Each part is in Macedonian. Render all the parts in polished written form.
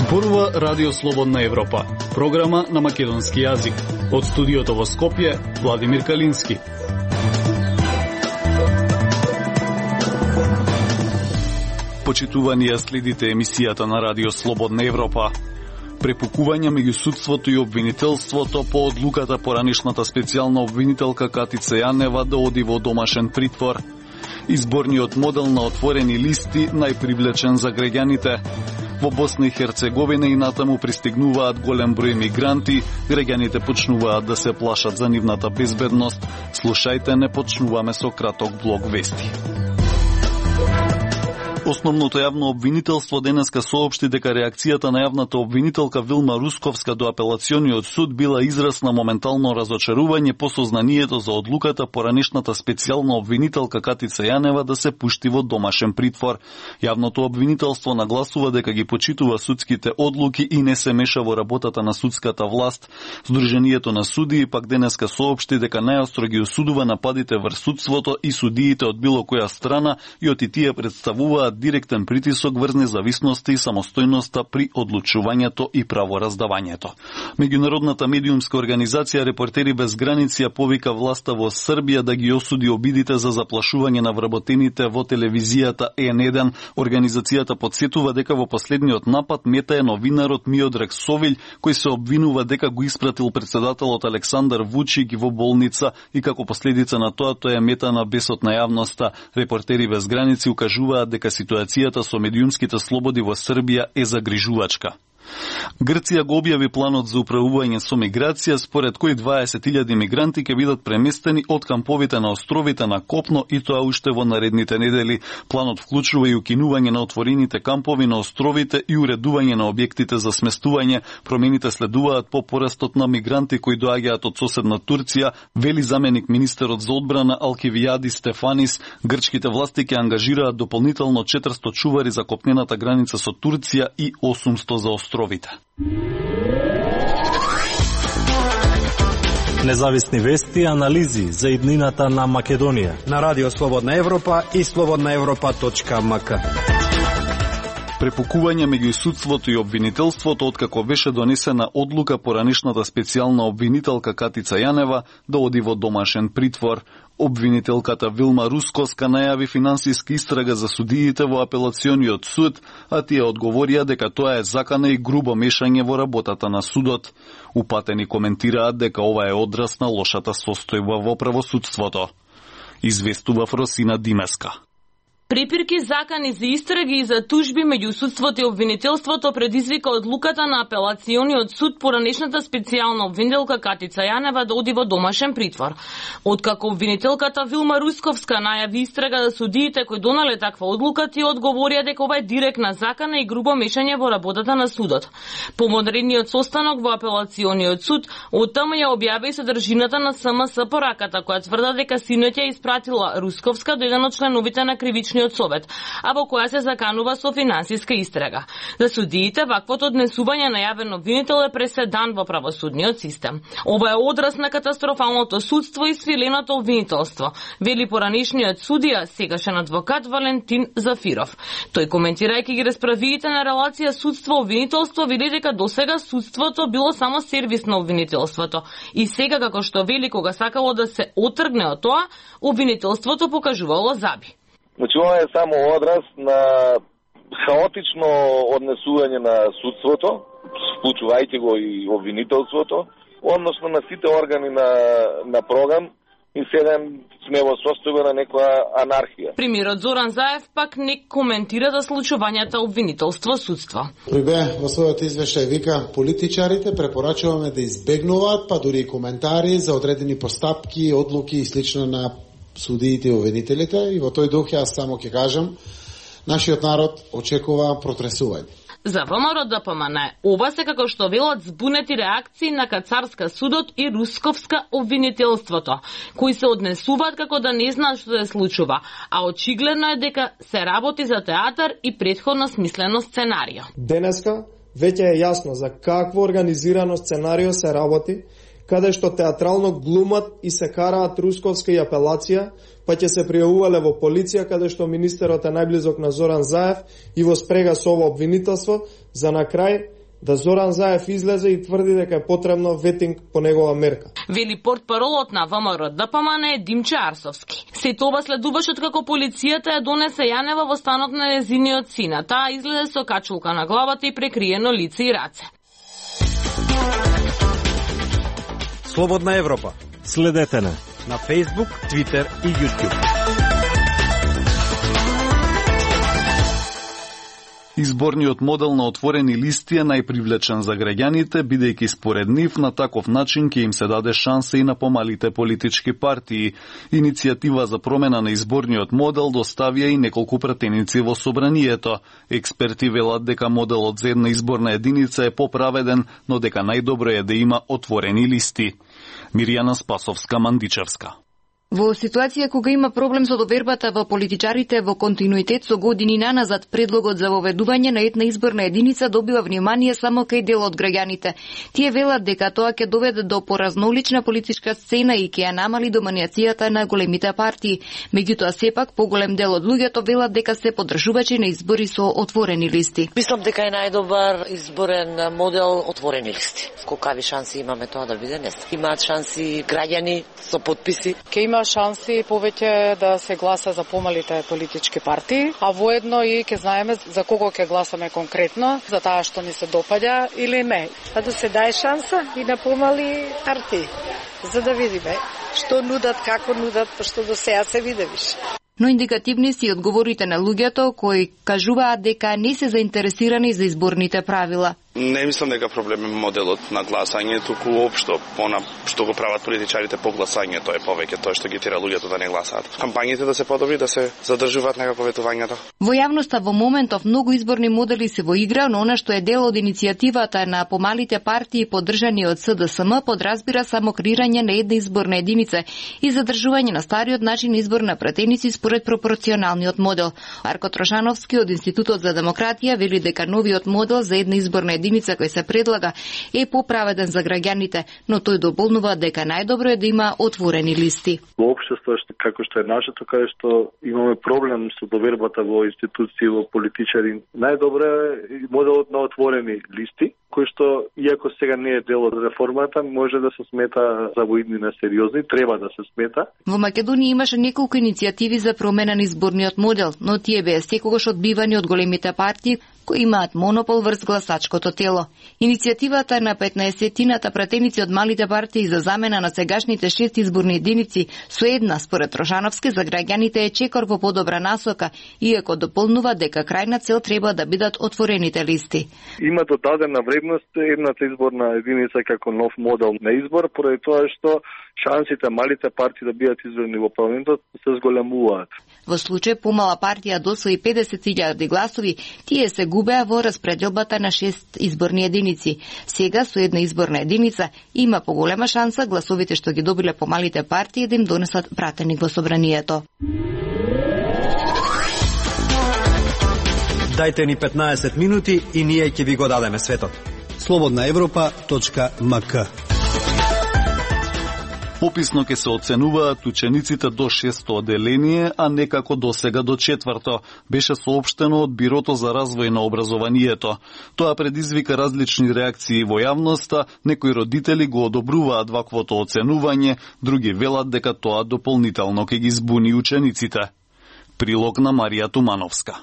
Зборува Радио Слободна Европа, програма на македонски јазик. Од студиото во Скопје, Владимир Калински. Почитувани ја следите емисијата на Радио Слободна Европа. Препукување меѓу судството и обвинителството по одлуката поранешната специјална обвинителка Катица Јанева да оди во домашен притвор. Изборниот модел на отворени листи најпривлечен за граѓаните. Во Босна и Херцеговина и натаму пристигнуваат голем број мигранти, граѓаните почнуваат да се плашат за нивната безбедност. Слушајте, не почнуваме со краток блок вести. Основното јавно обвинителство денеска соопшти дека реакцијата на јавната обвинителка Вилма Русковска до апелациониот суд била израз на моментално разочарување по сознанието за одлуката поранешната специјална обвинителка Катица Јанева да се пушти во домашен притвор. Јавното обвинителство нагласува дека ги почитува судските одлуки и не се меша во работата на судската власт. Сдруженијето на судии пак денеска соопшти дека најостро ги осудува нападите врз судството и судиите од било која страна и оти тие представуваат директен притисок врз независноста и самостојноста при одлучувањето и правораздавањето. Меѓународната медиумска организација Репортери без граници ја повика власта во Србија да ги осуди обидите за заплашување на вработените во телевизијата N1. Организацијата подсетува дека во последниот напад мета е новинарот Миодраг Совилј, кој се обвинува дека го испратил претседателот Александар Вучик во болница и како последица на тоа тој е мета на бесот на јавноста. Репортери без граници укажуваат дека ситуацијата со медиумските слободи во Србија е загрижувачка. Грција го објави планот за управување со миграција, според кој 20.000 мигранти ќе бидат преместени од камповите на островите на копно и тоа уште во наредните недели. Планот вклучува и укинување на отворените кампови на островите и уредување на објектите за сместување. Промените следуваат по порастот на мигранти кои доаѓаат од соседна Турција, вели заменик министерот за одбрана Алкивијади Стефанис. Грчките власти ќе ангажираат дополнително 400 чувари за копнената граница со Турција и 800 за островите. Независни вести и анализи за иднината на Македонија на Радио Слободна Европа и slobodnaevropa.mk. Препукување меѓу судството и обвинителството откако беше донесена одлука поранешната специјална обвинителка Катица Јанева да оди во домашен притвор. Обвинителката Вилма Русковска најави финансиска истрага за судиите во апелациониот суд, а тие одговорија дека тоа е закана и грубо мешање во работата на судот. Упатени коментираат дека ова е одраз на лошата состојба во правосудството. Известува Фросина Димеска. Препирки, закани за истраги и за тужби меѓу судството и обвинителството предизвика одлуката на апелациониот суд поранешната специјална обвинителка Катица Јанева да оди во домашен притвор. Откако обвинителката Вилма Русковска најави истрага за судиите кои донале таква одлука, тие одговорија дека ова е директна закана и грубо мешање во работата на судот. По модерниот состанок во апелациониот суд, оттаму ја објави содржината на СМС пораката која тврда дека синот ја испратила Русковска до еден од членовите на кривичниот совет, а во која се заканува со финансиска истрага. За судиите, ваквото однесување на јавен обвинител е преседан во правосудниот систем. Ова е одраз на катастрофалното судство и свиленото обвинителство, вели поранешниот судија, сегашен адвокат Валентин Зафиров. Тој, коментирајќи ги расправиите на релација судство-обвинителство, вели дека досега судството било само сервис на обвинителството и сега, како што вели, кога сакало да се отргне од тоа, обвинителството покажувало заби. Значи, ова е само одраз на хаотично однесување на судството, вклучувајќи го и обвинителството, односно на сите органи на прогам, и сега сме во состојба на некоја анархија. Премиерот Зоран Заев пак не коментира за случувањата обвинителство-судство. Прибе во својот извештај вика, политичарите препорачуваме да избегнуваат, па дури и коментари за одредени постапки, одлуки и слично на судиите и обвинителите, и во тој дух јас само ќе кажам, нашиот народ очекува протресување. За ВМРО ДПМН, ова се како што велат збунети реакции на Кацарска судот и Русковска обвинителството, кои се однесуваат како да не знаат што се случува, а очигледно е дека се работи за театар и претходно смислено сценарио. Денеска веќе е јасно за какво организирано сценарио се работи, каде што театрално глумат и се караат Русковска и апелација, па ќе се пријавувале во полиција, каде што министерот е најблизок на Зоран Заев и во спрега со ово обвинителство, за на крај да Зоран Заев излезе и тврди дека е потребно ветинг по негова мерка. Вели портпаролот на ВМРО ДПМН Димче Арсовски. Се тоа следуваше откако полицијата ја донесе Јанева во станот на незиниот син, а таа излезе со качулка на главата и прекриено лице и раце. Слободна Европа. Следете на Facebook, Twitter и YouTube. Изборниот модел на отворени листи е најпривлечен за граѓаните, бидејќи според нив на таков начин ќе им се даде шанса и на помалите политички партии. Иницијатива за промена на изборниот модел доставија и неколку пратеници во собранието. Експерти велат дека моделот за една изборна единица е поправеден, но дека најдобро е да има отворени листи. Мирјана Спасовска-Мандичевска. Во ситуација кога има проблем со довербата во политичарите во континуитет со години наназад, предлогот за воведување на една изборна единица добива внимание само кај дел од граѓаните. Тие велат дека тоа ќе доведе до поразнолична политичка сцена и ќе ја намали доминацијата на големите партии. Меѓутоа сепак поголем дел од луѓето велат дека се поддржувачи на избори со отворени листи. Мислам дека е најдобар изборен модел отворени листи. Колкави шанси имаме тоа да биде, не знам. Имаат шанси граѓани со подписи. Ке има шанси повеќе да се гласа за помалите политички партии, а воедно и ќе знаеме за кого ќе гласаме конкретно, за таа што ни се допаѓа или не. А да се даде шанса и на помали партии, за да видиме што нудат, како нудат, пошто до сега се видевиш. Но индикативни си одговорите на луѓето кои кажуваат дека не се заинтересирани за изборните правила. Не мислам дека проблем е моделот на гласање, туку општо, она што го прават политичарите по гласањето е повеќе тоа што ги тера луѓето да не гласаат. Кампањите да се подобри, да се задржуваат некако ветувањето. Во јавноста во моментов многу изборни модели се во игра, но она што е дел од иницијативата на помалите партии поддржани од СДСМ подразбира само креирање на една изборна единица и задржување на стариот начин избор на пратеници според пропорционалниот модел. Арко Трошановски од Институтот за демократија вели дека новиот модел за една изборна единица кој се предлага е поправеден за граѓаните, но тој дополнува дека најдобро е да има отворени листи. Во општество како што е нашето, каде што имаме проблем со довербата во институции, во политичари, најдобро е моделот на отворени листи, кој што, иако сега не е дел од реформата, може да се смета за во иднина сериозни, треба да се смета. Во Македонија имаше неколку иницијативи за промена на изборниот модел, но тие беа секогаш одбивани од големите партии кои имаат монопол врз гласачкото тело. Иницијативата на 15-тината пратеници од малите партии за замена на сегашните 6 изборни единици со една, според Трошановски, за граѓаните е чекор во подобра насока, иако дополнува дека крајна цел треба да бидат отворените листи. Има додадена вредност едната изборна единица како нов модел на избор, поради тоа што шансите малите партии да бидат избрани во парламентот се зголемуваат. Во случај помала партија досвои 50.000 гласови, тие се губеа во распределбата на 6 изборни единици. Сега со една изборна единица има поголема шанса гласовите што ги добиле помалите партии да им донесат пратеник во собранието. Дајте ни 15 минути и ние ќе ви го дадеме светот. slobodnaevropa.mk. Пописно ќе се оценуваат учениците до 6-то оделение, а не како досега до 4-то, беше соопштено од Бирото за развој на образованието. Тоа предизвика различни реакции во јавноста, некои родители го одобруваат ваквото оценување, други велат дека тоа дополнително ќе ги збуни учениците. Прилог на Марија Тумановска.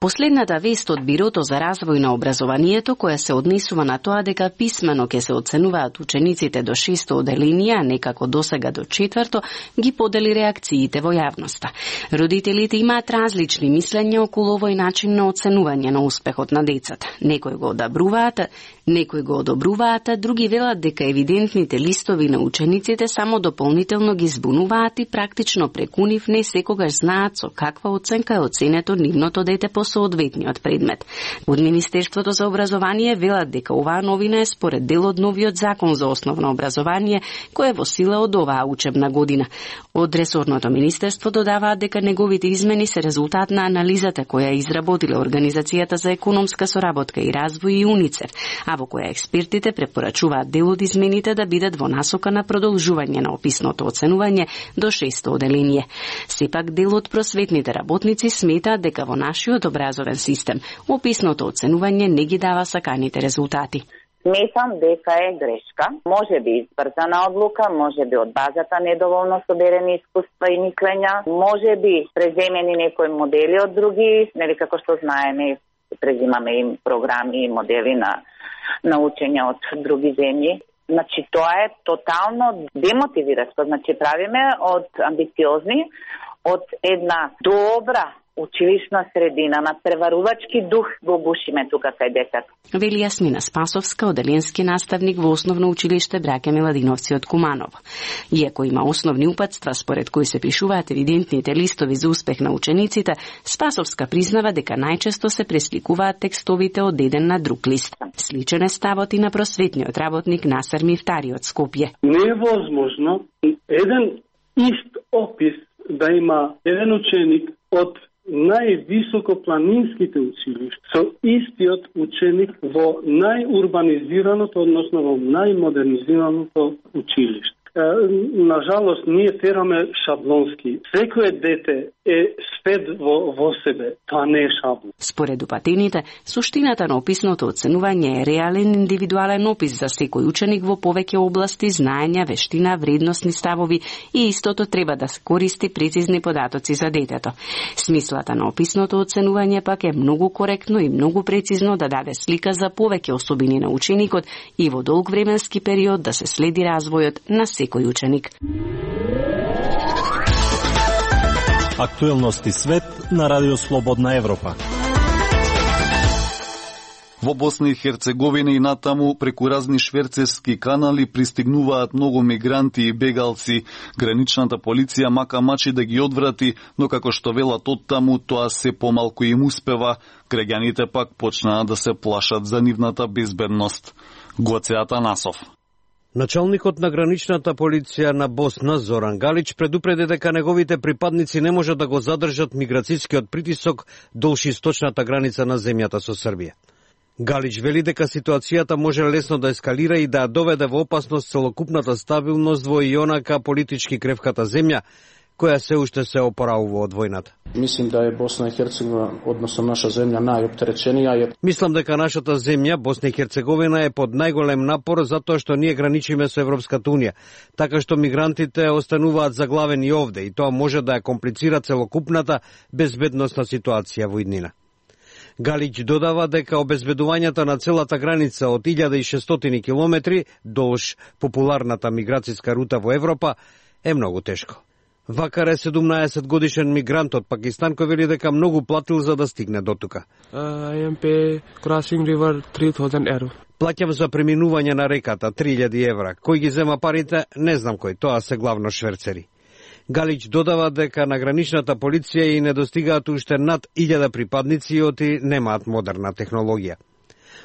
Последната вест од Бирото за развој на образованието, која се однесува на тоа дека писмено ќе се оценуваат учениците до 6-то оделение, а не како досега до 4-то, ги подели реакциите во јавноста. Родителите имаат различни мислења околу овој начин на оценување на успехот на децата. Некои го одобруваат, а други велат дека евидентните листови на учениците само дополнително ги збунуваат и практично преку нив не секогаш знаат со каква оценка е оценето нивното дете по соодветниот предмет. Од Министерството за образование велат дека оваа новина е според дел од новиот закон за основно образование, кој е во сила од оваа учебна година. Од ресорното министерство додаваат дека неговите измени се резултат на анализата која изработила Организацијата за економска соработка и развој и УНИЦЕФ, а во која експертите препорачуваат дел од измените да бидат во насока на продолжување на описното оценување до 6-то оделение. Сепак дел од просветните работници сметаат дека во нашиот образовен систем описното оценување не ги дава саканите резултати. Сметам дека е грешка, може би избрзана одлука, може би од базата недоволно соберени искуства и мислења, може би преземени некои модели од други, нели како што знаеме, презимаме им програми и модели на учење од други земји. Значи тоа е тотално демотивиращо, значи правиме од амбициозни, од една добра училишна средина, на преварувачки дух го бушиме тука кај децата. Вели Јасмина Спасовска, оделенски наставник во Основно училиште Браќа Миладиновци од Куманово. Иако има основни упатства според кои се пишуваат евидентните листови за успех на учениците, Спасовска признава дека најчесто се пресликуваат текстовите од еден на друг лист. Сличен е ставот и на просветниот работник Насер Мифтари од Скопје. Не е возможно еден ист опис да има еден ученик од највисокопланинските училишта со истиот ученик во најурбанизираното, односно во најмодернизираното училиште. На жалост, ние тераме шаблонски. Секое дете е свет во себе. Тоа не е шаблон. Според упатените, суштината на описното оценување е реален индивидуален опис за секој ученик во повеќе области, знаења, вештина, вредносни ставови и истото треба да се користи прецизни податоци за детето. Смислата на описното оценување пак е многу коректно и многу прецизно да даде слика за повеќе особини на ученикот и во долг временски период да се следи развојот на секој ученик. Актуелности свет на Радио Слободна Европа. Во Босна и Херцеговина и натаму преку разни шверцерски канали пристигнуваат многу мигранти и бегалци. Граничната полиција мака мачи да ги одврати, но како што велат оттаму, тоа се помалку им успева. Граѓаните пак почнаа да се плашат за нивната безбедност. Гоце Атанасов. Началникот на граничната полиција на Босна, Зоран Галич, предупреди дека неговите припадници не можат да го задржат миграцијскиот притисок долж источната граница на земјата со Србија. Галич вели дека ситуацијата може лесно да ескалира и да ја доведе во опасност целокупната стабилност во и онака политички кревката земја, која се уште се опоравува од војната. Мислим да е Босна и Херцеговина, односно наша земја, најоптереченија. Мислам дека нашата земја, Босна и Херцеговина, е под најголем напор затоа што ние граничиме со Европската унија, така што мигрантите остануваат заглавени овде и тоа може да ја комплицира целокупната безбедносна ситуација во иднина. Галич додава дека обезбедувањето на целата граница од 1600 километри долж популарната миграцијска рута во Европа е многу тешко. Вакар е 17 годишен мигрант од Пакистан кој вели дека многу платил за да стигне до тука. I am pay crossing river 3000 euro. Плаќам за преминување на реката 3000 евра. Кој ги зема парите, не знам кој, тоа се главно шверцери. Галич додава дека на граничната полиција и недостигаат уште над 1000 припадници и оти немаат модерна технологија.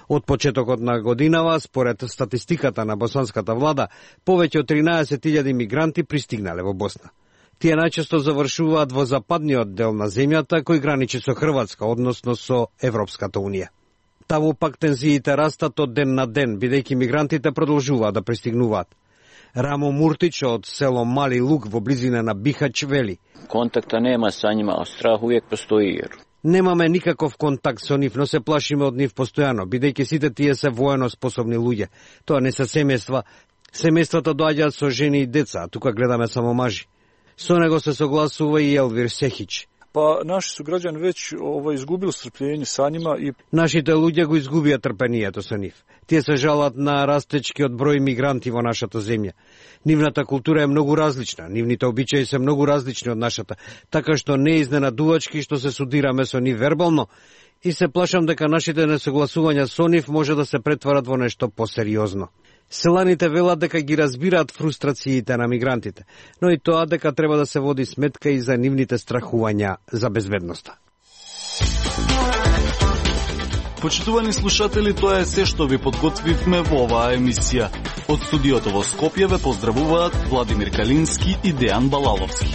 Од почетокот на годинава, според статистиката на босанската влада, повеќе од 13.000 мигранти пристигнале во Босна. Тие најчесто завршуваат во западниот дел на земјата кој граничи со Хрватска, односно со Европската унија. Таму пак тензиите растат од ден на ден, бидејќи мигрантите продолжуваат да пристигнуваат. Рамо Муртич од село Мали Луг во близина на Бихач вели: Контакта нема со нима, а страх увек постои. Немаме никаков контакт со нив, но се плашиме од нив постојано, бидејќи сите тие се воено способни луѓе. Тоа не се семејства. Семејствата доаѓаат со жени и деца, а тука гледаме само мажи. Со него се согласува и Елвир Сехич. Па наши суграѓани веќе изгубил стрплjenje со нима и нашите луѓе го изгубија трпението со нив. Тие се жалат на растечкиот број мигранти во нашата земја. Нивната култура е многу различна, нивните обичаи се многу различни од нашата, така што не е изненадувачки што се судираме со нив вербално и се плашам дека нашите несогласувања со нив може да се претварат во нешто посериозно. Селаните велат дека ги разбираат фрустрациите на мигрантите, но и тоа дека треба да се води сметка и за нивните страхувања за безбедноста. Почитувани слушатели, тоа е се што ви подготвивме во оваа емисија. Од студиото во Скопје ве поздравуваат Владимир Калински и Дејан Балаловски.